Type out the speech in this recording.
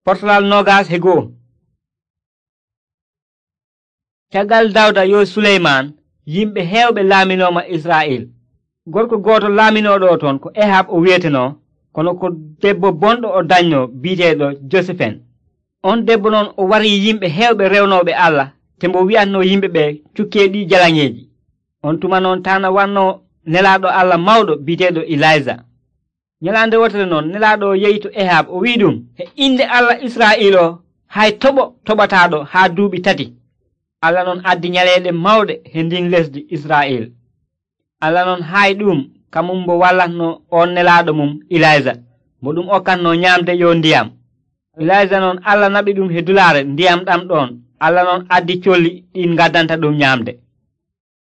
Portalal 21. Caggal Dawda yo Suleyman yimɓe heewɓe laaminooma Israa'il. Gorko gooto laaminoɗo ton ko Ehab o wi'eteno, kono ko debbo bonɗo o dañno bi'eteeɗo Josifen. On debbo noon o warii yimɓe heewɓe rewnooɓe Allah te mbo wi'atno yimɓe ɓe cukkeeɗi jalaŋeeji. On tuma noon taana wanno nelaaɗo Allah mawɗo bi'eteeɗo Ilayja. Nyalaande wotere noon nelaaɗo o yehi to Ehab o wi'i ɗum, e inde Allah Israa'il o hay toɓo toɓataaɗo haa duuɓi 3. Allah noon addi nyaleeɗe mawɗe he ndin lesdi Israa'il. Allah noon haayi ɗum kamum mbo wallatno on nelaaɗo mum Ilayja mo ɗum okkatno nyaamde yo ndiyam. Ilayja noon Allah naɓi ɗum he dulaare ndiyam ɗam ɗon. Allah noon addi colli ɗin ngaddanta ɗum nyaamde.